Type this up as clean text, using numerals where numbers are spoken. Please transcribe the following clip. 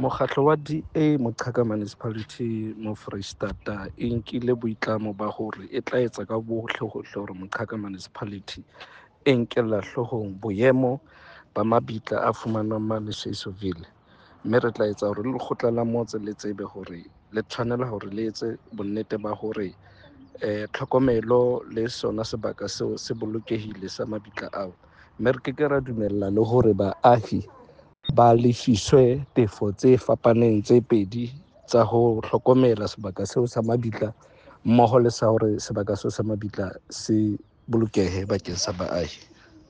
Mokgatlo wa DA Moqhaka Municipality mo Foreisetata e nkile boitlamo ba hore e tla etsa ka bohle hohle hore Moqhaka Municipality e nkella hloohong boemo ba mabitla a fumanwang mane Schyseville, mme re tla etsa hore le lekgotla la motse le tsebe hore le tshwanela hore le etse bonnete ba hore tlhokomelo le sona sebaka seo se bolokehile sa mabitla ao, mme re ke ke ra dumella le hore baahi ba lefiswe tefo tse fapaneng tse pedi tsa ho hlokomela sebaka seo sa mabitla mmoho le sa hore sebaka seo sa mabitla se bolokehe bakeng sa baahi.